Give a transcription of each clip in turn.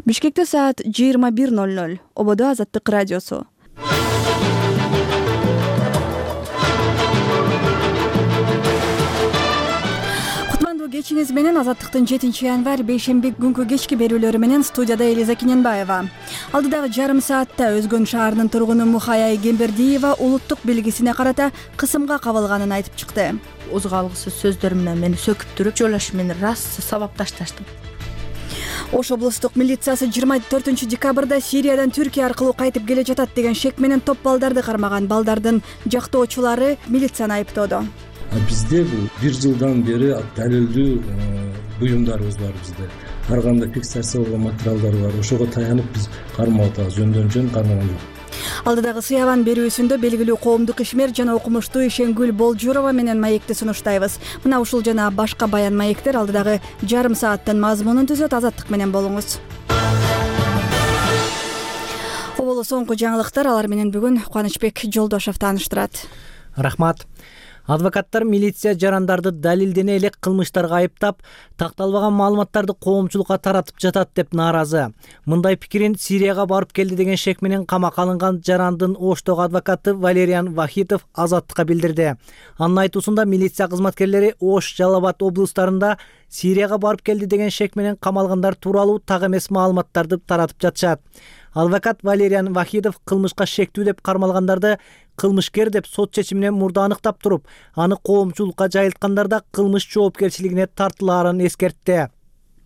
Бишкекте саат 21:00. Ободо Азаттык радиосу. Кутмандуу кечиңиз менен Азаттыктын 7-январь бейшемби күнкү кечки берүүлөрү менен студияда Элиза Кененбаева. Алдыдагы жарым саатта Өзгөн шаарынын тургуну Мухай Айгембердиева улуттук белгисине карата кысымга кабылганын айтып чыкты. Озго алгысыз сөздөр менен мени сөкүп туруп, жолош мени раз сабап ташташты. Ош облустук милициясы 24 декабрда Сириядан Түркия аркылуу кайтып келе жатат деген шек менен топ балдарды кармаган балдардын жактоочулары милицияны айыптоодо. Бизде бул 1 жылдан бери далилдүү буюмдарыбыз бар бизде. Ар кандай фиксация болгон материалдар бар. Ошого таянып биз кармап атабыз, жөн кармаган жок. Алдыдагы сыябан берүүсүндө белгилүү коомдук ишмер жана окумуштуу Ишенгүл Болжурова менен маекти сунуштайбыз. Мына ушул жана башка баян маектер алдыдагы жарым сааттын мазмунун түзөт. Азаттык менен болуңуз. Оболу соңку жаңылыктар, алар менен бүгүн Кубанычбек Жолдошов тааныштырат. Рахмат. Адвокаттар милиция жарандарды далилдене элек кылмыштарга айыптап, такталбаган маалыматтарды коомчулукка таратып жатат деп нааразы. Мындай пикирин Сирияга барып келди деген шек менен камакка алынган жарандын Оштогу адвокаты Валериан Вахитов Азаттыкка билдирди. Анын айтуусунда милиция кызматкерлери Ош, Жалал Абад облустарында Сирияга барып келди деген шек менен камалгандар тууралуу так эмес маалыматтарды таратып жатышат. Адвокат Валериан Вахитов кылмышка шектүү деп кармалгандарды кылмышкер деп сот чечиминен мурда аныктап туруп, аны коомчулукка жайылткандарда кылмыш жоопкерчилигине тартылаарын эскертти.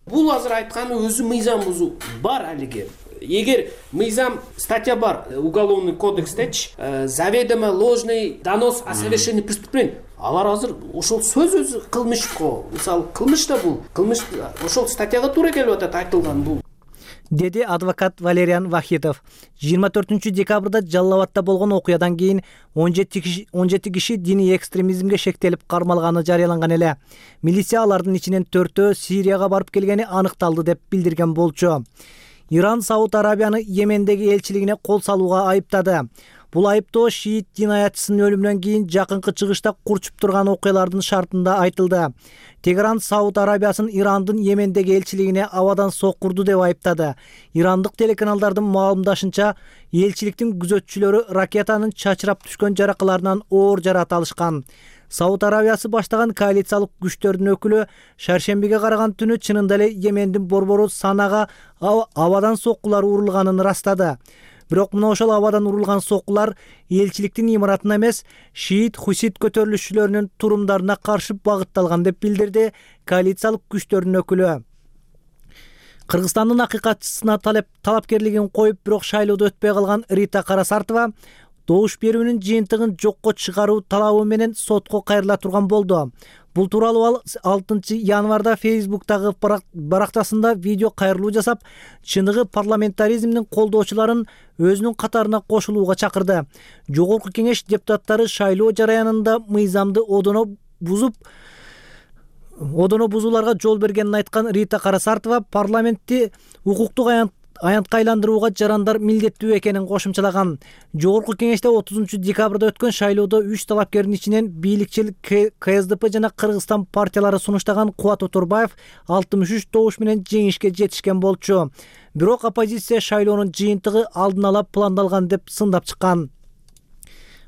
Бул азыр айтканы өзү мыйзам бузуу бар алиге. Эгер мыйзам статья бар уголовный кодекстечи, заведомо ложный донос о совершении преступления. Алар азыр ошол сөз өзү кылмышко, мисалы кылмыш да бул, кылмыш ошол статьяга туура келип атат айтылган бул. Деди адвокат Валериан Вахитов. 24 декабрда Жалал Абадта болгон окуядан кийин 17 киши диний экстремизмге шектелип кармалганы жарыяланган эле. Милиция алардын ичинен 4-өө Сирияга барып келгени аныкталды деп билдирген болчу. Иран Сауд Арабияны Йемендеги элчилигине кол салууга айыптады. Бул айыптоо шиит динаятчысынын өлүмүнөн кийин жакынкы чыгышта курчуп турган окуялардын шартында айтылды. Тегеран Сауд Арабиясын Ирандын Йемендеги элчилигине абадан соккурду деп айыптады. Ирандык телеканалдардын маалымдашынча, элчиликтин күзөтчүлөрү ракетанын чачырап түшкөн жаракаларынан оор жарат алышкан. Сауд Арабиясы баштаган коалициялык күчтөрдүн өкүлү шаршембиге караган түнү чынында эле Йемендин борбору Санага абадан соккулар урулганын ырастады. Бирок мына ошол абадан урулган соккулар элчиликтин имаратына эмес, шиит хусит көтөрүлүшчүлөрүнүн турумдарына каршы багытталган деп билдирди коалициялык күчтөрдүн өкүлү. Кыргызстандын акыйкатчысына талапкерлигин коюп, бирок шайлоодо өтпөй калган Рита Карасартова добуш берүүнүн жыйынтыгын жокко чыгаруу талабы менен сотко кайрыла турган болду. Бул тууралуу ал 6 январда Facebook'тагы барактасында видео кайрылуу жасап, чыныгы парламентаризмдин колдоочуларын өзүнүн катарына кошулууга чакырды. Жогорку кеңеш депутаттары шайлоо жараянында мыйзамды одоно бузууларга жол бергенин айткан Рита Карасартова парламентти укуктук аянтка айландырууга жарандар милдеттүү экенин кошумчалаган. Жогорку кеңеште 30 декабрда өткөн шайлоодо 3 талапкердин ичинен бийликчил КСДП жана Кыргызстан партиялары сунуштаган Кубат Оторбаев 63 добуш менен жеңишке жетишкен болчу. Бирок оппозиция шайлоонун жыйынтыгы алдын ала пландалган деп сындап чыккан.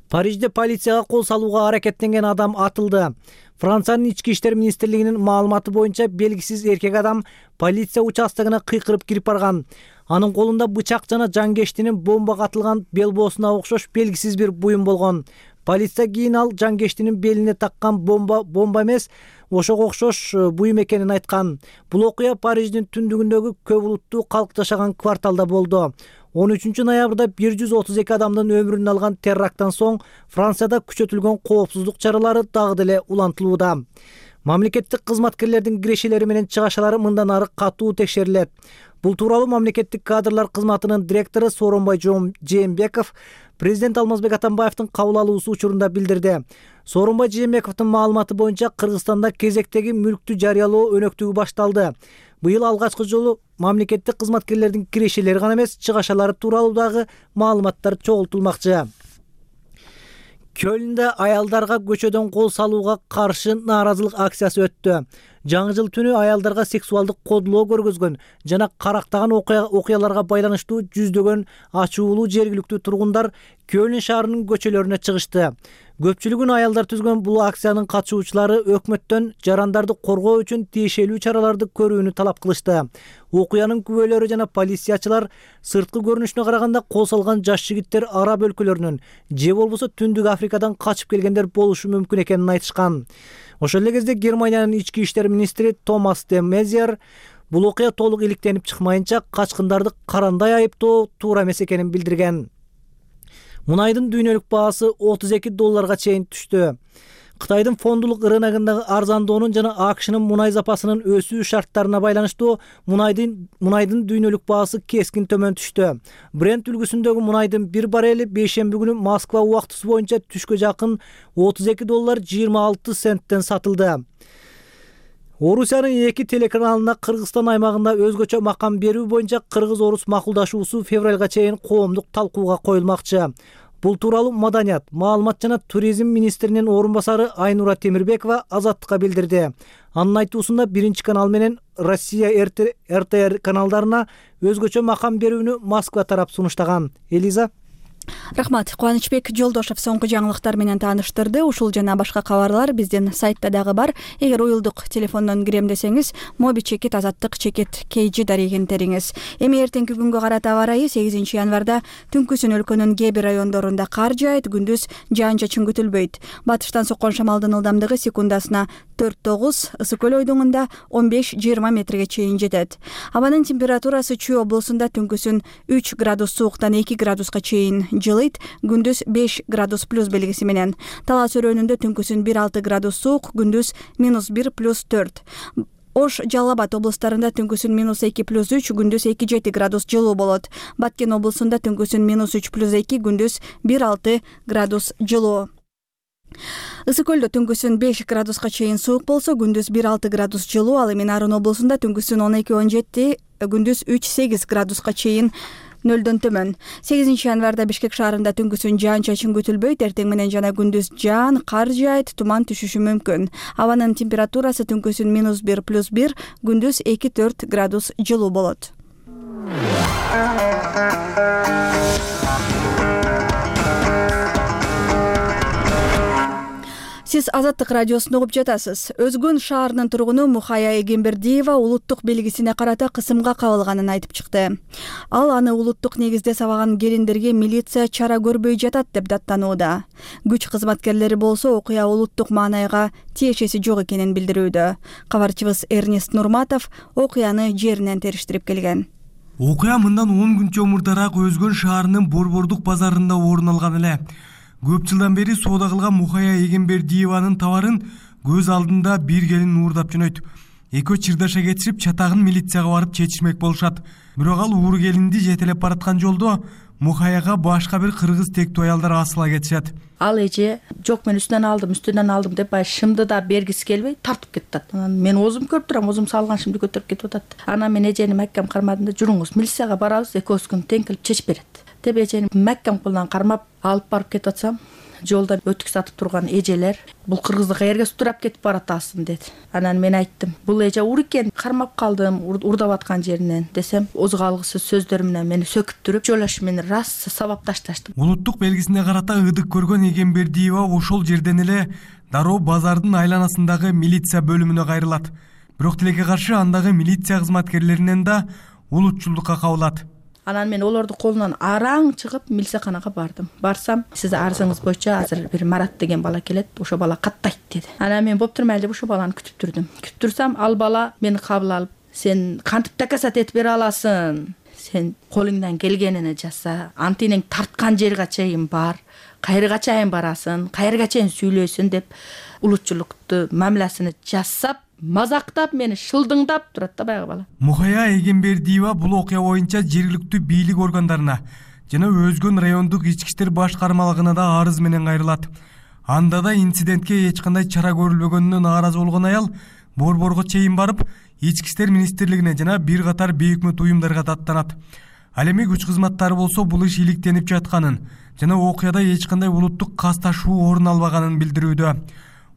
Парижде полицияга кол салууга аракеттенген адам атылды. Франциянын ички иштер министрлигинин маалыматы боюнча белгисиз эркек адам полиция участогуна кыйкырып кирип барган. Анын колунда бычак жана жангештинин бомбага атылган белбоосуна окшош белгисиз бир буюм болгон. Полиция кийин ал жангештинин белине таккан бомба эмес, ошого окшош буюм экенин айткан. Бул окуя Париждин түндүгүндөгү көп улуттуу калк жашаган кварталда болду. 13 ноябрда 132 адамдын өмүрүн алган теракттан соң Францияда күчөтүлгөн коопсуздук чаралары дагы деле улантылууда. Мамлекеттик кызматкерлердин кирешелери менен чыгашалары мындан ары катуу текшерилет. Бул тууралуу мамлекеттик кадрлар кызматынын директору Сооронбай Жээнбеков президент Алмазбек Атамбаевдин кабыл алуусу учурунда билдирди. Сооронбай Жээнбековдун маалыматы боюнча Кыргызстанда кезектеги мүлктү жарыялоо өнөктүгү башталды. Быйыл алгачкы жолу мамлекеттик кызматкерлердин кирешелери гана эмес, чыгашалары тууралуу дагы маалыматтар чогултулмакчы. Кölндө аялдарга көчөдөн кол салууга каршы нааразылык акциясы өттү. Жаңы жыл түнү аялдарга сексуалдык кодулоо көргөзгөн жана карактаган окуяларга байланыштуу жүздөгөн ачуулуу жергиликтүү тургундар Кölн шаарынын көчөлөрүнө чыгышты. Көпчүлүгүн аялдар түзгөн бул акциянын катышуучулары өкмөттөн жарандарды коргоо үчүн тиешелүү чараларды көрүүнү талап кылышты. Окуянын күбөлөрү жана полициячылар сырткы көрүнүшүнө караганда кол салган жаш жигиттер араб өлкөлөрүнөн же болбосо Түндүк Африкадан качып келгендер болушу мүмкүн экенин айтышкан. Ошол эле кезде Германиянын ички иштер министри Томас де Мезиер бул окуя толук иликтенип чыкмайынча качкындарды карандай айыптоо туура эмес экенин билдирген. Мунайдын дүйнөлүк баасы $32 чейин түштү. Кытайдын фондулук рыногундагы арзандоонун жана АКШнын мунай запасынын өсүү шарттарына байланыштуу мунайдын дүйнөлүк баасы кескин төмөн түштү. Брент үлгүсүндөгү мунайдын бир баррели бейшемби күнү Москва убактысы боюнча түшкө жакын $32.26 сатылды. Орусиянын 2 телеканалына Кыргызстан аймагында өзгөчө макам берүү боюнча кыргыз-орус макулдашуусу февралга чейин коомдук талкууга коюлмакчы. Бул тууралуу Маданият, маалымат жана туризм министринин орун басары Айнура Темирбекова Азаттыкка билдирди. Анын айтуусунда биринчи канал менен Россия РТР каналдарына өзгөчө макам берүүнү Москва тарап сунуштаган. Элиза. Рахмат. Кубанычбек Жолдошов соңку жаңылыктар менен тааныштырды. Ушул жана башка кабарлар биздин сайтта дагы бар. Эгер уюлдук телефондон кирем десеңиз, mobi@azattik.kg дарегин териңиз. Эми эртеңки күнгө карата аба ырайы 8 январда түнкүсүн өлкөнүн кээ бир райондорунда кар жаайт, күндүз жаан-чачын күтүлбөйт. Батыштан соккон шамалдын ылдамдыгы секундасына 4-9, Ысык көл ойдуңунда 15-20 метрге чейин жетет. Абанын температурасы Чүй облусунда түнкүсүн 3 градус сууктан 2 градуска чейин жылыйт, күндүз 5 градус плюс белгиси менен. Талас өрөөнүндө түнкүсүн 1-6 градус суук, күндүз -1 плюс 4. Ош, Жалал Абад облустарында түнкүсүн -2 плюс 3, күндүз 2-7 градус жылуу болот. Баткен облусунда түнкүсүн -3 плюс 2, күндүз 1-6 градус жылуу. Ысык көлдө түнкүсүн 5 градуска чейин суук болсо, күндүз 1-6 градус жылуу, ал эми Нарын облусунда түнкүсүн 12-17, күндүз 3-8 градуска чейин нөлдөн төмөн. 8 январда Бишкек шаарында түнкүсүн жаан-чачын күтүлбөйт, эртең менен жана күндүз жаан, кар жаайт, туман түшүшү мүмкүн. Абанын температурасы түнкүсүн -1 плюс 1, күндүз 2-4 градус жылуу болот. Сиз Азаттык радиосунда угуп жатасыз. Өзгөн шаарынын тургуну Мухая Эгембердиева улуттук белгисине карата кысымга кабылганын айтып чыкты. Ал аны улуттук негизде сабаган келиндерге милиция чара көрбөй жатат деп даттанууда. Күч кызматкерлери болсо окуя улуттук маанайга тиешеси жок экенин билдирүүдө. Кабарчыбыз Эрнест Нурматов окуяны жеринен териштирип келген. Окуя мындан 10 күнчө мурдараак Өзгөн шаарынын Борбордук базарында орун алган эле. Көп жылдан бери соода кылган Мухая Эгембердиеванын товарын көз алдында бир келин уурдап жөнөйт. Экөө чырдаша кетишип, чатагын милицияга барып чечишмек болушат. Бирок ал ууру келинди жетелеп бараткан жолдо Мухаяга башка бир кыргыз тектүү аялдар асыла кетишет. Ал эже жок мен үстүнөн алдым деп шымды да бергиси келбей тартып кетет. Мен озум көрүп турам, озум салган шымды көтөрүп кетип атат. Анан мен эжени маккам кармадым да, жүрүңүз милицияга барабыз, экөөбүз тең келип чечип берет деп эжени маккам колунан кармап алып барып кетип атсам, жолдон өтүк сатып турган эжелер бул кыргызды каерге сутурап кетип баратасың деди. Анан мен айттым, бул эже ур экен, кармап калдым урдап аткан жеринен десем, озго алгысыз сөздөр менен мени сөкүп туруп, жолаш мени раз сабап ташташты. Улуттук белгисине карата ыдык көргөн Эгембердиева ошол жерден эле дароо базардын айланасындагы милиция бөлүмүнө кайрылат. Бирок тилекке каршы андагы милиция кызматкерлеринен да улутчулдукка кабылат. Анан мен олорду колунан араң чыгып милицияханага бардым. Барсам, сиз арызыңыз боюнча азыр бир Марат деген бала келет, ошо бала каттайт деди. Анан мен боп турмайлы деп ошо баланы күтүп турдум. Күтүп турсам, ал бала мени кабыл алып, сен кантип доказать этип бере аласың? Сен колуңдан келгенини жаса, антинең тарткан жерге чейин бар, кайерга чейин барасың, кайерга чейин сүйлөйсүң деп улутчулукту мамилесин жасап, мазактап мени шылдыңдап турат да баягы бала. Мухая Эгембердиева бул окуя боюнча жергиликтүү бийлик органдарына жана Өзгөн райондук ички иштер башкармалыгына да арыз менен кайрылат. Анда да инцидентке эч кандай чара көрүлбөгөнүнө нааразы болгон аял борборго чейин барып, ички иштер министрлигине жана бир катар бейөкмөт уюмдарга даттанат. Ал эми күч кызматтары болсо бул иш иликтенип жатканын жана окуяда эч кандай улуттук касташуу орун албаганын билдирүүдө.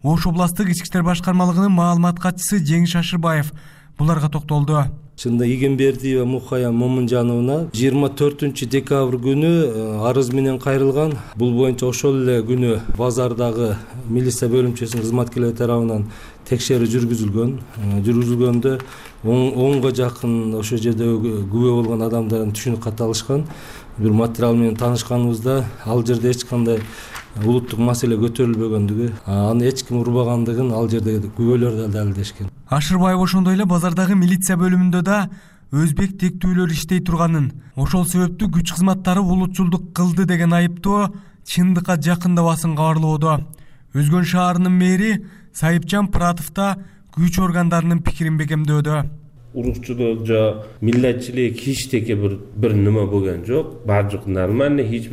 Ош областтык ички иштер башкармалыгынын маалымат катчысы Жеңиш Ашырбаев буларга токтолду. Чында Эгембердиева Мухая Момунжановна 24 декабрь күнү арыз менен кайрылган. Бул боюнча ошол эле күнү базардагы милиция бөлүмчөсүнүн кызматкерлери тарабынан текшерүү жүргүзүлгөндө 10га жакын ошол жерде күбө болгон адамдардын түшүнүк каты алышкан. Бир материал менен таанышканыбызда ал жерде эч кандай улуттук маселе көтөрүлбөгөндүгү, аны эч ким урбагандыгын ал жерде күбөлөр да далилдешкен. Ашырбаев ошондой эле базардагы милиция бөлүмүндө да өзбек тектүүлөр иштей турганын, ошол себептүү күч кызматтары улутчулдук кылды деген айыптоо чындыкка жакындабасын кабарлоодо. Өзгөн шаарынын мэри Сайыпжан Пыратов да күч органдарынын пикирин бекемдөөдө. Урукчулук же милләтчилик hiç теке bir nima bo'lgan jo'q. Barcık нормально, hiç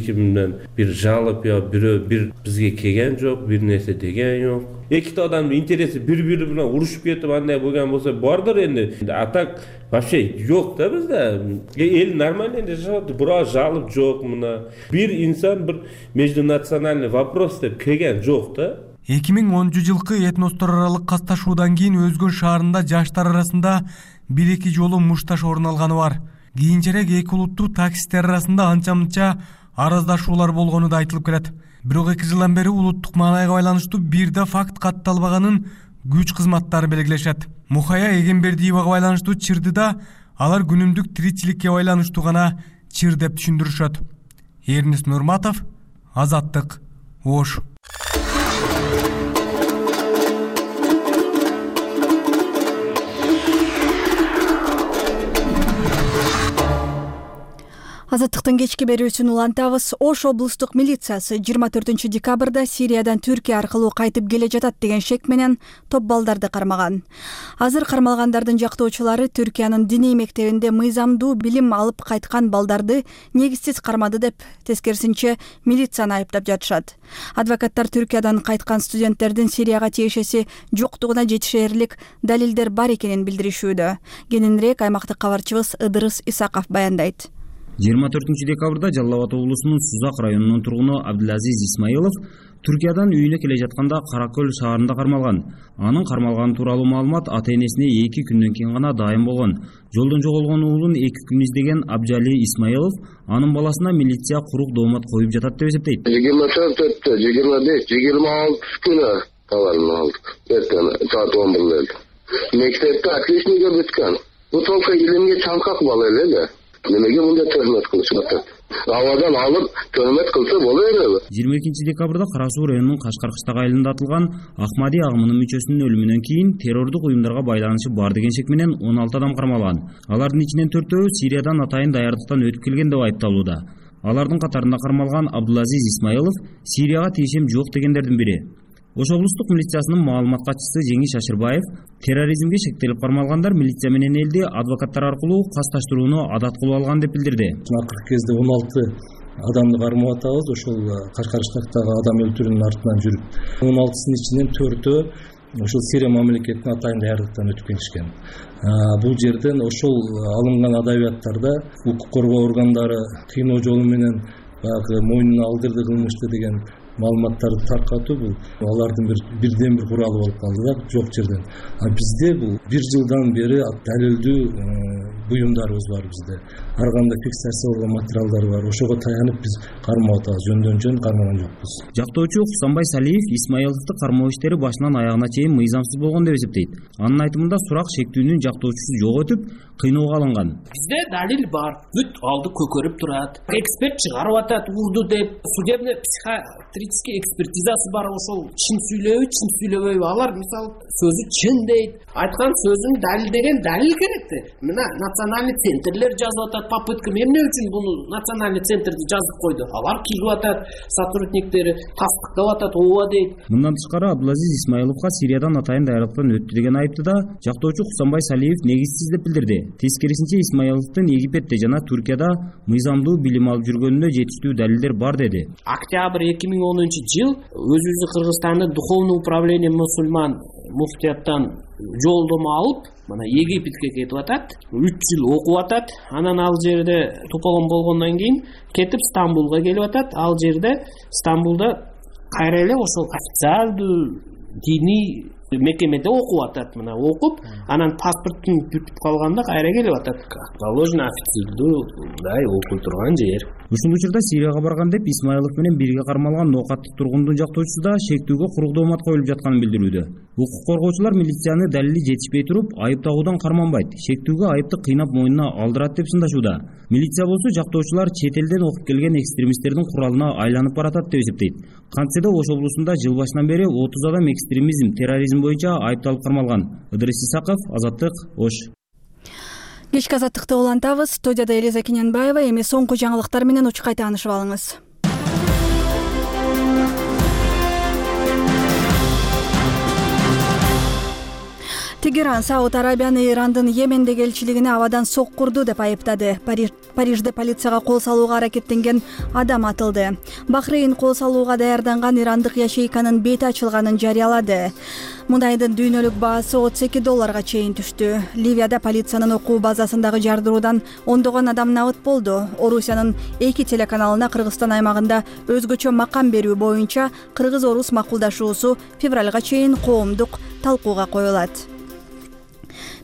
kimden bir жалып yo bir bizga kelgan jo'q, bir narsa degan yo'q. Ikkita odamning interesi bir-biri bilan urushib ketib anday bo'lgan bo'lsa bordir endi. Atak вообще yo'q-da bizda. El нормально endi yashayapti. Biroq жалып jo'q buna. Bir inson bir междунациональный вопрос deb kelgan jo'q-da. 2010-жылкы этностор аралык касташуудан кийин Өзгөн шаарында жаштар арасында 1-2 жолу мушташ орун алганы бар. Кийинчерээк эки улуттуу таксисттер арасында анча-мынча араздашуулар болгону да айтылып келет. Бирок 2 жылдан бери улуттук маанайга байланыштуу бир да факт катталбаганын күч кызматтары белгилешет. Мухая Эгембердиевага байланыштуу чырды да алар күнүмдүк тиричиликке байланыштуу гана чыр деп түшүндүрүшөт. Эрнис Нурматов, Азаттык, Ош. Азаттыктын кечки берүүсүн улантабыз. Ош облустук милициясы 24 декабрда Сириядан Түркия аркылуу кайтып келе жатат деген шек менен топ балдарды кармаган. Азыр кармалгандардын жактоочулары Түркиянын диний мектебинде мыйзамдуу билим алып кайткан балдарды негизсиз кармады деп, тескерисинче милицияны айыптап жатышат. Адвокаттар Түркиядан кайткан студенттердин Сирияга тиешеси жоктугуна жетишээрлик далилдер бар экенин билдиришүүдө. Кененирээк аймактык кабарчыбыз Ыдырыс Исаков баяндайт. 24 декабрда Жалал Абад облусунун Сузак районунун тургуну Абдулазиз Исмаилов Түркиядан үйүнө келе жатканда Каракөл шаарында кармалган. Анын кармалганы тууралуу маалымат ата-энесине 2 күндөн кийин гана дайым болгон. Жолдон жоголгон уулун 2 күн издеген Абжали Исмаилов анын баласына милиция курук доомат коюп жатат деп эсептейт. 24-тө, 25, 26 күнү каларын алдык. Эртең саат 11-де. Мектепте отличниктер бүткөн. Бу только илимге чаңкак бала эле. Немеге мындай төмөт кылышып атат? Абадан алып төмөт кылса болот эле. 22 декабрда Кара Суу районунун Кашкар кыштагы айылында атылган Ахмади агымынын мүчөсүнүн өлүмүнөн кийин террордук уюмдарга байланышы бар деген шек менен 16 адам кармалган. Алардын ичинен 4-өө Сириядан атайын даярдыктан өтүп келген деп айыпталууда. Алардын катарында кармалган Абдулазиз Исмаилов Сирияга тиешем жок дегендердин бири. Ош облустук милициясынын маалымат катчысы Жеңиш Ашырбаев терроризмге шектелип кармалгандар милиция менен элди адвокаттар аркылуу касташтырууну адат кылып алган деп билдирди. Акыркы кезде 16 адамды кармап атабыз, ошол Кашкар штатындагы адам өлтүрүүнүн артынан жүрүп. 16-сынын ичинен 4-өө ошол Сирия мамлекетине атайын даярдыктан өтүп келишкен. Бул жерден ошол алынган адабияттарда укук коргоо органдары кыйноо жолу менен баягы мойнуна алдырды кылмышты деген маалыматтарды таркатуу бул алардын бирден бир куралы болуп калды да, жок жерден. Бизде бул 1 жылдан бери далилдүү буюмдарыбыз бар бизде. Ар кандай фиксация болгон материалдар бар. Ошого таянып биз кармап атабыз, жөндөн-жөн кармаган жокпуз. Жактоочу Хусанбай Салиев Исмаиловду кармоо иштери башынан аягына чейин мыйзамсыз болгон деп эсептейт. Анын айтымында сурак шектүүнүн жактоочусу жок өтүп, кыйноого алынган. Бизде далил бар. Бүт алды көкөрүп турат. Эксперт чыгарып атат урду деп, судебный психиатрический экспертизасы бар, ошол чын сүйлөбөйбү. Алар мисалы сөзү чын дейт. Айткан сөзүн далилдеген далил керекти. Мына национальный центрлер жазып атат, попытка эмне үчүн буну национальный центрди жазып койду. Алар килип атат, сотрудниктери тастыктап атат, ооба дейт. Мындан тышкары Абдулазиз Исмаиловго Сириядан атайын даярдыктан өттү деген айыпты да жактоочу Хусанбай Салиев негизсиз деп билдирди. Тескерисинче Исмаиловдун Египетте жана Түркияда мыйзамдуу билим алып жүргөнүнө жетиштүү далилдер бар деди. Октябрь 2010-жыл өзүбүздүн Кыргызстандын духовный управление мусульман муфтияттан жолдомо алып, мына Египетке кетип атат, 3 жыл окуп атат, анан ал жерде тополгон болгондон кийин кетип Стамбулга келип атат. Ал жерде Стамбулда кайра эле ошол официалдуу диний мекемеде окуп атат. Мына окуп, анан паспортун бүтүп калганда кайра келип атат. Положено официалдуу мындай окуй турган жер. Ушул учурда Сирияга барган деп Исмаилов менен бирге кармалган ноокаттуу тургундун жактоочусу да шектүүгө куруктуу маат коюлуп жатканын билдирүүдө. Укук коргоочулар милицияны далили жетишпей туруп айып тагуудан карманбайт, шектүүгө айыпты кыйнап мойнуна алдырат деп сындашууда. Милиция болсо жактоочулар чет элден окуп келген экстремисттердин куралына айланып баратат деп эсептейт. Кантсе да Ош облусунда жыл башынан бери 30 адам экстремизм, терроризм боюнча айыпталып кармалган. Ыдырыс Исаков, Азаттык, Ош. Кечки азаттыкты улантабыз. Студияда Элиза Кененбаева. Эми соңку жаңылыктар менен учкай таанышып алыңыз. Тегеран Сауд Арабияны Ирандын Йемендеги элчилигине абадан соккурду деп айыптады. Парижде полицияга кол салууга аракеттенген адам атылды. Бахрейн кол салууга даярданган ирандык ячейканын бети ачылганын жарыялады. Мунайдын дүйнөлүк баасы $32 чейин түштү. Ливияда полициянын окуу базасындагы жардыруудан ондогон адам набыт болду. Орусиянын 2 телеканалына Кыргызстан аймагында өзгөчө макам берүү боюнча кыргыз-орус макулдашуусу февралга чейин коомдук талкууга коюлат.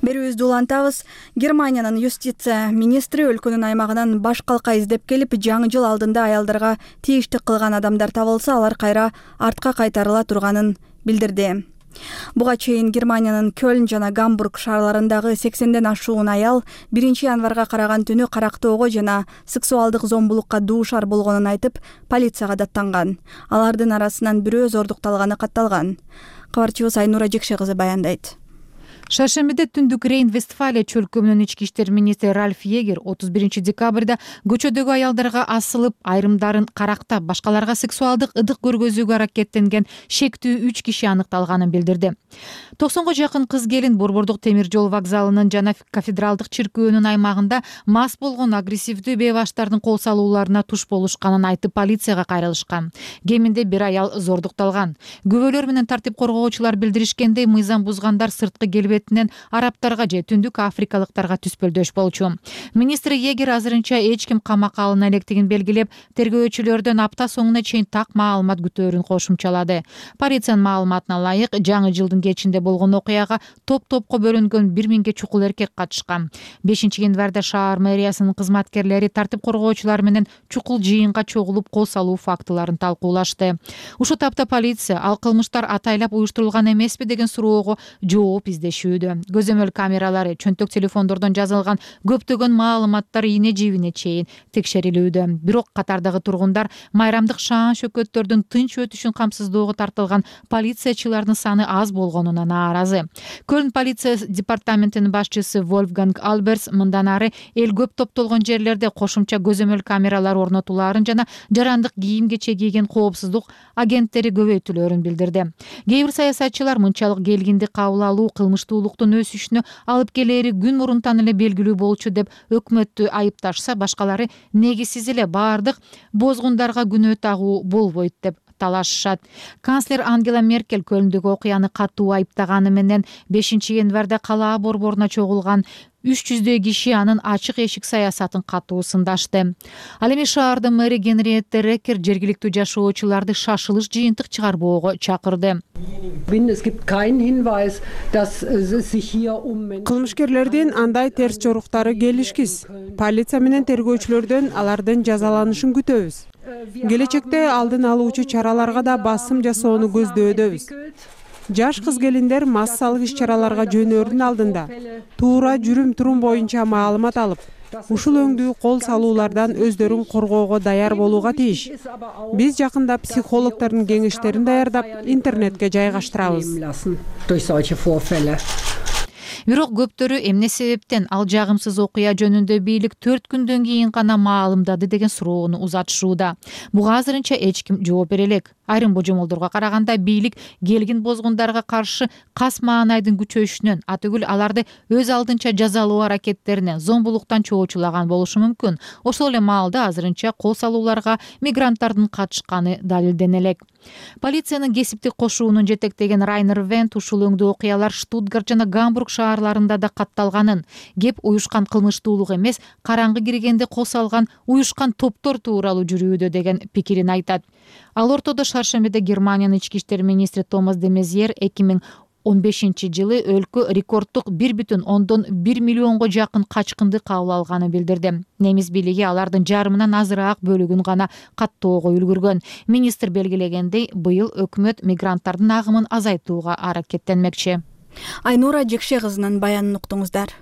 Берүүбүздү улантабыз. Германиянын юстиция министри өлкөнүн аймагынан баш калка издеп келип, жаңы жыл алдында аялдарга тийиштик кылган адамдар табылса, алар кайра артка кайтарыла турганын билдирди. Буга чейин Германиянын Кёлн жана Гамбург шаарларындагы 80ден ашуун аял 1 январга караган түнү карактоого жана сексуалдык зомбулукка дуушар болгонун айтып, полицияга даттанган. Алардын арасынан бирөө зордукталганы катталган. Кабарчыбыз Айнура Жекше кызы баяндайт. Шаршембиде түндүк Рейн-Вестфалия чөлкөмүнүн ички иштер министри Ральф Егер 31 декабрда көчөдөгү аялдарга асылып, айрымдарын карактап, башкаларга сексуалдык ыдык көргөзүүгө аракеттенген шектүү 3 киши аныкталганын билдирди. 90га жакын кыз келин Борбордук темир жол вокзалынын жана кафедралдык чиркөөнүн аймагында мас болгон агрессивдүү бейбаштардын кол салууларына туш болушканын айтып, полицияга кайрылышкан. Кеминде бир аял зордукталган. Күбөлөр менен тартип коргоочулар билдиришкендей, мыйзам бузгандар сырткы келбетинен арабтарга же түндүк африкалыктарга түспөлдөш болчу. Министр Егер азырынча эч ким камакка алына электигин белгилеп, тергөөчүлөрдөн апта соңуна чейин так маалымат күтөөрүн кошумчалады. Полициянын маалыматына ылайык, жаңы жылдын кечинде болгон окуяга топ-топко бөлүнгөн 1000ге чукул эркек катышкан. 5 январда шаар мэриясынын кызматкерлери тартип коргоочулар менен чукул жыйынга чогулуп кол салуу фактыларын талкуулашты. Ушул тапта полиция ал кылмыштар атайлап уюштурулган эмеспи деген суроого жооп издешүүдө. Көзөмөл камералары, чөнтөк телефондордон жазылган көптөгөн маалыматтар ийне жибине чейин текшерилүүдө. Бирок катардагы тургундар майрамдык шаан шөкөттөрдүн тынч өтүшүн камсыздоого тартылган полициячылардын саны аз болгонуна нааразы. Көлн полиция департаментинин башчысы Вольфганг Альберс мындан ары эл көп топтолгон жерлерде кошумча көзөмөл камералар орнотулаарын жана жарандык кийим кече кийген коопсуздук агенттери көбөйтүлөөрүн билдирди. Кээ бир саясатчылар мынчалык келгинди кабыл алуу кылмыштуулуктун өсүшүнө алып келери күн мурунтан эле белгилүү болчу деп өкмөттү айыпташса, башкалары негизсиз эле баардык бозгундарга күнөө тагуу болбойт деп талашышат. Канцлер Ангела Меркель Көлндөгү окуяны катуу айыптаганы менен 5 январда калаа борборуна чогулган 300 киши анын ачык эшик саясатын катуу сындашты. Ал эми шаардын мэри Генриетта Рекер жергиликтүү жашоочуларды шашылыш жыйынтык чыгарбоого чакырды. Кылмышкерлердин андай терс жоруктары келишкиз. Полиция менен тергөөчүлөрдөн алардын жазаланышын күтөбүз. Келечекте алдын алуучу чараларга да басым жасоону көздөбүз. Жаш кыз келиндер массалык иш-чараларга жөнөөрдүн алдында туура жүрүм-турум боюнча маалымат алып, ушул өңдүү кол салуулардан өздөрүн коргоого даяр болууга тийиш. Биз жакында психологдордун кеңештерин даярдап, интернетке жайгаштырабыз. Бирок көптөрү эмне себептен ал жагымсыз окуя жөнүндө бийлик 4 күндөн кийин гана маалымдады деген суроону узатышууда. Буга азырынча эч ким жооп бере элек. Айрым божомолдорго караганда бийлик келгин бозгундарга каршы кас маанайдын күчөйүшүнөн, атүгүл аларды өз алдынча жазалоо аракеттерине, зомбулуктан чоочулаган болушу мүмкүн. Ошол эле маалда азырынча кол салууларга мигранттардын катышканы далилдене элек. Полициянын кесиптик кошуунун жетектеген Райнер Вент ушул өңдүү окуялар Штутгарт жана Гамбург шаарларында да катталганын, кеп уюшкан кылмыштуулук эмес, караңгы киргенде кол салган уюшкан топтор тууралуу жүрүүдө деген пикирин айтат. Ал ортодо шаршембиде Германиянын ички иштер министри Томас де Мезьер 2015-жылы өлкө рекорддук 1,1 миллионго жакын качкынды кабыл алганын билдирди. Немис бийлиги алардын жарымынан азыраак бөлүгүн гана каттоого үлгүргөн. Министр белгилегендей, быйыл өкмөт мигранттардын агымын азайтууга аракеттенмекчи. Айнура Жекше кызынын баянын уктуңуздар.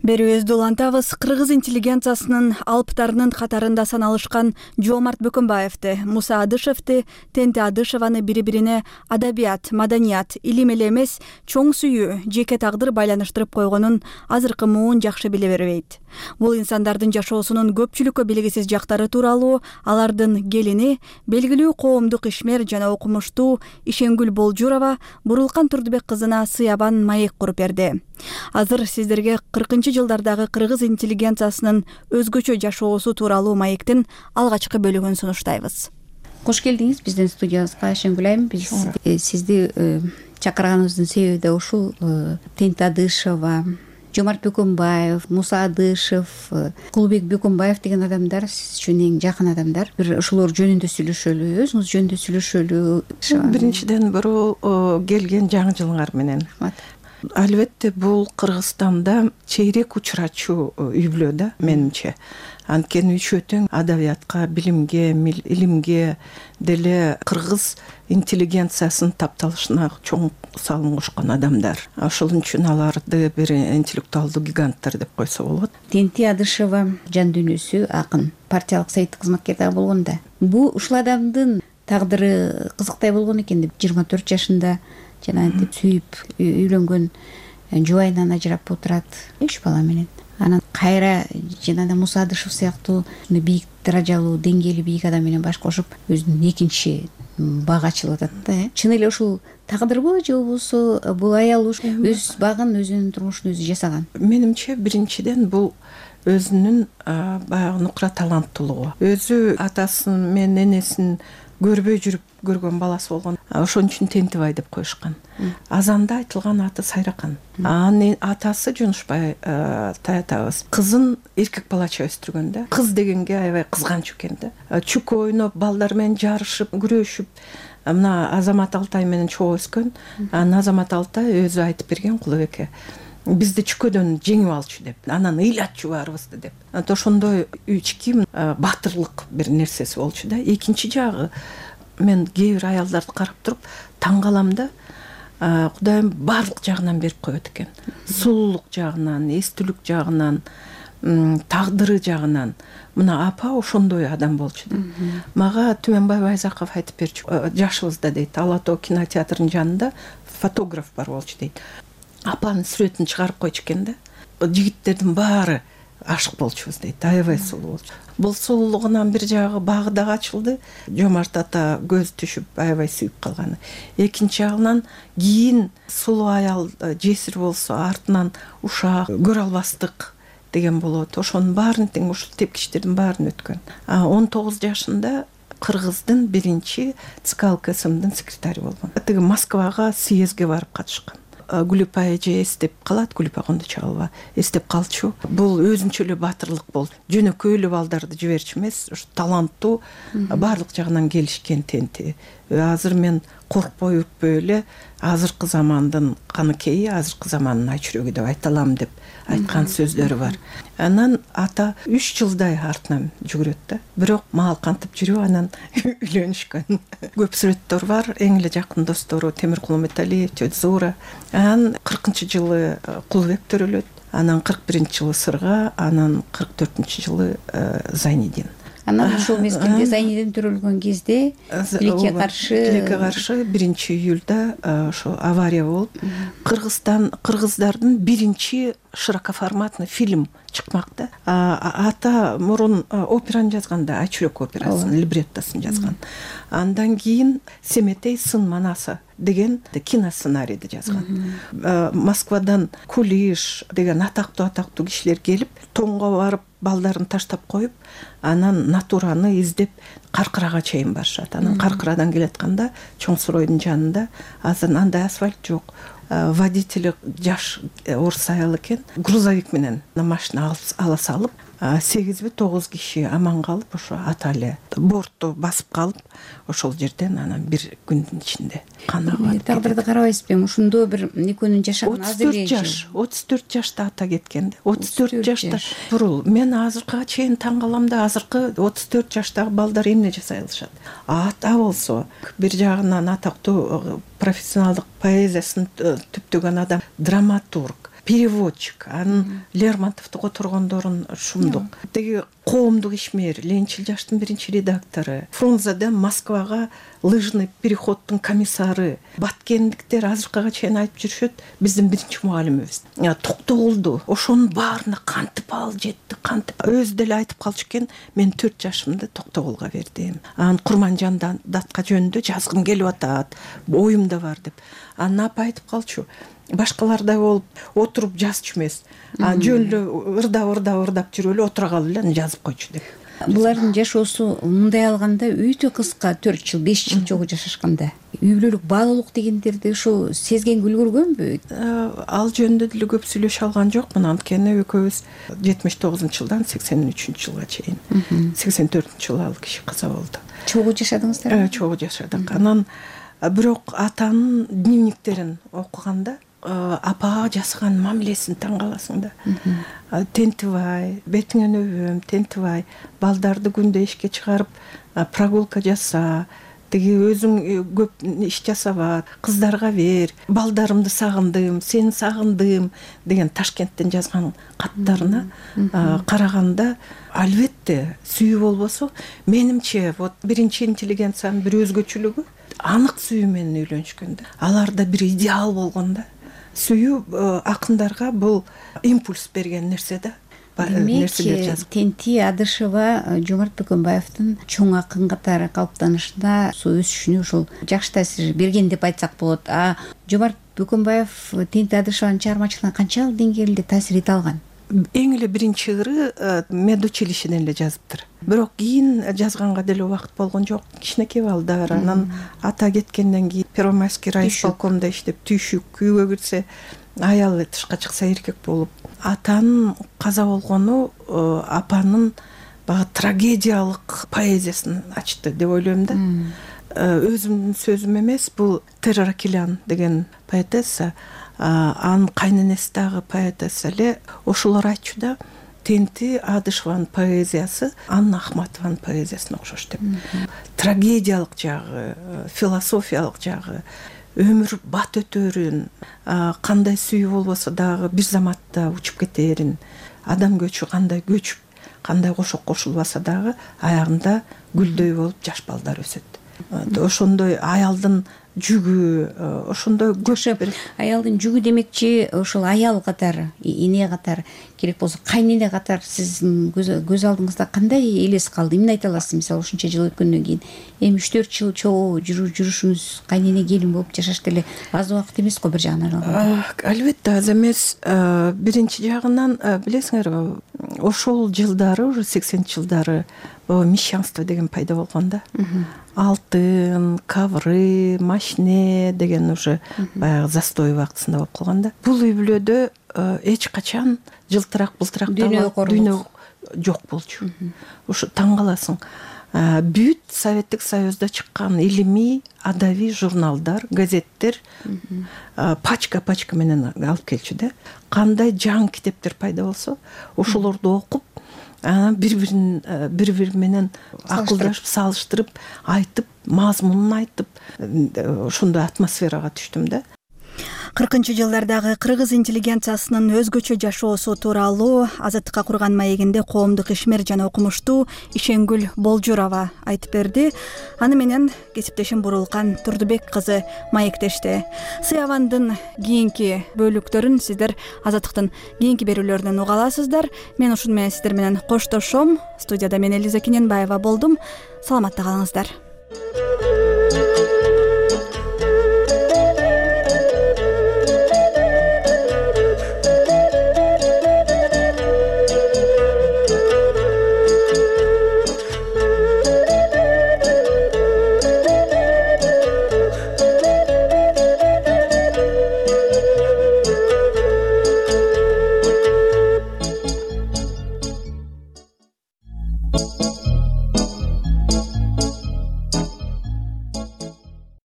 Берүүбүздү улантабыз. Кыргыз интеллигенциясынын алыптарынын катарында саналышкан Жоомарт Бөкөнбаевди, Муса Адышевди, Тенти Адышеваны бири-бирине адабият, маданият, илим эле эмес, чоң сүйүү, жеке тагдыр байланыштырып койгонун азыркы муун жакшы биле бербейт. Бул инсандардын жашоосунун көпчүлүккө белгисиз жактары тууралуу алардын келини, белгилүү коомдук ишмер жана окумуштуу Ишенгүл Болжурова Бурулкан Турдубек кызына сыябан маек куруп берди. Азыр сиздерге 40-жылдардагы кыргыз интеллигенциясынын өзгөчө жашоосу тууралуу маектин алгачкы бөлүгүн сунуштайбыз. Кош келдиңиз биздин студиябызга, Ишенгүл айым. Биз сизди чакырганыбыздын себеби да ушул. Тенти Адышева, Жоомарт Бөкөнбаев, Муса Адышев, Кулбек Бөкөнбаев деген адамдар сиз үчүн эң жакын адамдар. Бир ошолор жөнүндө сүйлөшөлү, өзүңүз жөнүндө сүйлөшөлү. Биринчиден бирөө келген жаңы жылыңар менен. Албетте бул Кыргызстанда чейрек учурачу үй бүлө да менимче. Анткени үчөө тең адабиятка, билимге, илимге деле кыргыз интеллигенциясынын тапталышына чоң салым кошкон адамдар. Ошол үчүн аларды бир интеллектуалдуу гиганттар деп койсо болот. Тенти Адышева жан дүйнөсү акын, партиялык советтик кызматкер дагы болгон да. Бул ушул адамдын тагдыры кызыктай болгон экен деп 24 жашында жана антип сүйүп үйлөнгөн жубайынан ажырап отурат 3 бала менен. Анан кайра жана Муса Адышев сыяктуу бийик даражалуу, деңгээли бийик адам менен баш кошуп өзүнүн экинчи багы ачылып атат да. Чын эле ушул тагдырбы же болбосо бул аял өз багын, өзүнүн турмушун өзү жасаган? Менимче биринчиден бул өзүнүн баягы нукра таланттуулугу. Өзү атасын менен энесин көрбөй жүрүп көргөн баласы болгон. Ошон үчүн Тентибай деп коюшкан. Азанда айтылган аты Сайракан. Анын атасы Жунушбай таятабыз. Кызын эркек балача өстүргөн да. Кыз дегенге аябай кызганч экен да. Чүк ойноп, балдар менен жарышып, күрөшүп, мына Азамат Алтай менен чогуу өскөн. Анан Азамат Алтай өзү айтып берген Кулубекке. Бизди чүкөдөн жеңип алчу деп, анан ыйлатчу баарыбызды деп. Ошондой ички батырлык бир нерсеси болчу да. Экинчи жагы мен кээ бир аялдарды карап туруп таң калам да. Кудайым баардык жагынан берип коет экен. Сулуулук жагынан, эстүүлүк жагынан, тагдыры жагынан. Мына апа ошондой адам болчу да. Мага Түмөнбай Байзаков айтып берчү. Жашыбызда дейт, Ала Тоо кинотеатрынын жанында фотограф бар болчу дейт. Апанын сүрөтүн чыгарып койчу экен да. Жигиттердин баары ашык болчубуз дейт. Аябай сулуу болчу. Бул сулуулугунан бир жагы багы дагы ачылды. Жоомарт ата көз түшүп аябай сүйүп калганы. Экинчи жагынан кийин сулуу аял жесир болсо артынан ушак көрө албастык деген болот. Ошонун баарын тең ушул тепкичтердин баарын өткөн. 19 жашында Кыргыздын биринчи ЦК ЛКСМдын секретарь болгон. Тиги Москвага съездге барып катышкан. Гүлүпа эже эстеп калат, Гүлүпа Кондочалова эстеп калчу. Бул өзүнчө эле батырлык болду. Жөнөкөй эле балдарды жиберчү эмес, ушу таланттуу, баардык жагынан келишкен Тенти. Азыр мен коркпой үрпөй эле азыркы замандын каныкейи, азыркы замандын айчүрөгү деп айта алам деп айткан сөздөрү бар. Анан ата 3 жылдай артынан жүгүрөт да. Бирок мал кантип жүрүп анан үйлөнүшкөн. Көп сүрөттөр бар. Эң эле жакын достору Темиркул Металиев, Тёзура. Анан 40-жылы Кулбек төрөлөт. Анан 41-жылы Сырга, анан 44-жылы Зайнидин. Анан ошол мезгилде Зайнидин төрөлгөн кезде тилекке каршы 1-июлда ошо авария болуп, кыргыздардын биринчи широкоформатный фильм чыкмак да. Ата мурун операны жазганда, Айчүрөк операсын, либреттосын жазган. Андан кийин Семетей сын манасы деген киносценарийди жазган. Москвадан Кулиш деген атактуу кишилер келип, Тонго барып балдарын таштап коюп анан натураны издеп Каркырага чейин барышат. Анан Каркырадан келатканда Чоң Суройдун жанында азыр андай асфальт жок. Водители жаш орус аял экен, грузовик менен машина ала салып 8-9 киши аман калып, ошо ата эле бортто басып калып, ошол жерден анан бир күндүн ичинде канагат. Тагдырды карабайсызбы? Ошондо бир экөөнүн жашаган 34 жашта ата кеткен да. 34 жашта бурул. Мен азыркыга чейин таң калам да, азыркы 34 жаштагы балдар эмне жасай алышат? Ата болсо бир жагынан атактуу профессионалдык поэзиясын түптөгөн адам, драматург, переводчик, анын Лермонтовду которгондорун шумдук. Теги коомдук ишмер, Ленчил жаштын биринчи редактору, Фрунзеде Москвага лыжный переходдун комиссары, баткендиктер азыркыга чейин айтып жүрүшөт, биздин биринчи мугалимибиз. Токтогулду, ошонун баарына кантип ал жетти, кантип өзү деле айтып калчу экен, мен 4 жашымда Токтогулга бердим. Анан Курманжан датка жөнүндө жазгым келип атат, оюм да бар деп. Анан апа айтып калчу, башкалардай болуп отуруп жазчу эмес. Жөн эле ырдап жүрүп эле отура калып эле жазып койчу деп. Булардын жашоосу мындай алганда өтө кыска, 4 жыл, 5 жыл жогу жашашканда. Үй бүлөлүк баалуулук дегендерди ошо сезген үлгүргөнбү? Ал жөнүндө деле көп сүйлөшө алган жокмун, анткени экөөбүз 79-жылдан 83-жылга чейин, 84-жылы ал киши каза болду. Чогуу жашадыңыздар? Чогуу жашадык. Анан бирок атанын дневниктерин окуганда апага жасаган мамилесин таң каласың да. Тентибай, бетиңен өбөм, тентибай, балдарды күндө ишке чыгарып прогулка жаса, теги өзүң көп иш жасаба, кыздарга бер, балдарымды сагындым, сени сагындым деген Ташкенттен жазган каттарына караганда, албетте сүйүү болбосо, менимче вот биринчи интеллигенциянын бир өзгөчөлүгү анык сүйүү менен үйлөнүшкөн да. Аларда бир идеал болгон да. Сүйүү акындарга бул импульс берген нерсе да. Тенти Адышева Жомарт Бөкөнбаевдин чоң акын катары калыптанышына өсүшүнө ушул жакшы таасир берген деп айтсак болот. Жомарт Бөкөнбаев Тенти Адышеванын чыгармачылыгына канчалык деңгээлде таасир эте алган? Эң эле биринчи ыры медучилищеден эле жазыптыр. Бирок кийин жазганга деле убакыт болгон жок. Кичинекей балдар, анан ата кеткенден кийин Первомайский райисполкомдо иштеп, түйшүк үйгө кирсе, аялы тышка чыкса эркек болуп. Атанын каза болгону апанын баягы трагедиялык поэзиясын ачты деп ойлойм да. Өзүмдүн сөзүм эмес, бул Терра Акилян деген поэтесса, анын кайненеси дагы поэтесса эле ошолор айтчу да, Тенти Адышеванын поэзиясы Анна Ахматованын поэзиясына окшош деп. Трагедиялык жагы, философиялык жагы, өмүр бат өтөрүн, кандай сүйүү болбосо дагы бир заматта учуп кетерин, адам көчү кандай көчүп, кандай кошок кошулбаса дагы аягында гүлдөй болуп жаш балдар өсөт. Ошондой аялдын жүгү, ошондой көп бир аялдын жүгү демекчи, ошол аял катары, эне катары, керек болсо кайнене катары сиздин көз алдыңызда кандай элес калды? Эмне айта аласыз? Мисалы, ушунча жыл өткөндөн кийин эми 3-4 жыл чогуу жүрүшүңүз кайнене келин болуп жашаш деле аз убакыт эмес го бир жагынан алганда. Албетте аз эмес. Биринчи жагынан билесиңерби, ошол жылдары, уже 80-жылдары мещанство деген пайда болгон да. Алтын, кавры, машине деген уже баягы застой убактысында болуп калган да. Бул үй бүлөдө эч качан жылтырак, былтырак дүйнө жок болчу. Ушу таң каласың. Бүт Советтик Союзда чыккан илимий, адабий журналдар, газеттер пачка менен алып келчү да. Кандай жаңы китептер пайда болсо, ошолорду окуп, бири менен акылдашып, салыштырып, айтып, мазмунун айтып, ошондой атмосферага түштүм да. 40-жылдардагы кыргыз интеллигенциясынын өзгөчө жашоосу тууралуу Азаттыкка курган маегинде коомдук ишмер жана окумуштуу Ишенгүл Болжурова айтып берди. Аны менен кесиптешим Бурулкан Турдубек кызы маектешти. Сыябандын кийинки бөлүктөрүн сиздер Азаттыктын кийинки берүүлөрүнөн уга аласыздар. Мен ушун менен сиздер менен коштошом. Студияда мен Элиза Кененбаева болдум. Саламатта калыңыздар.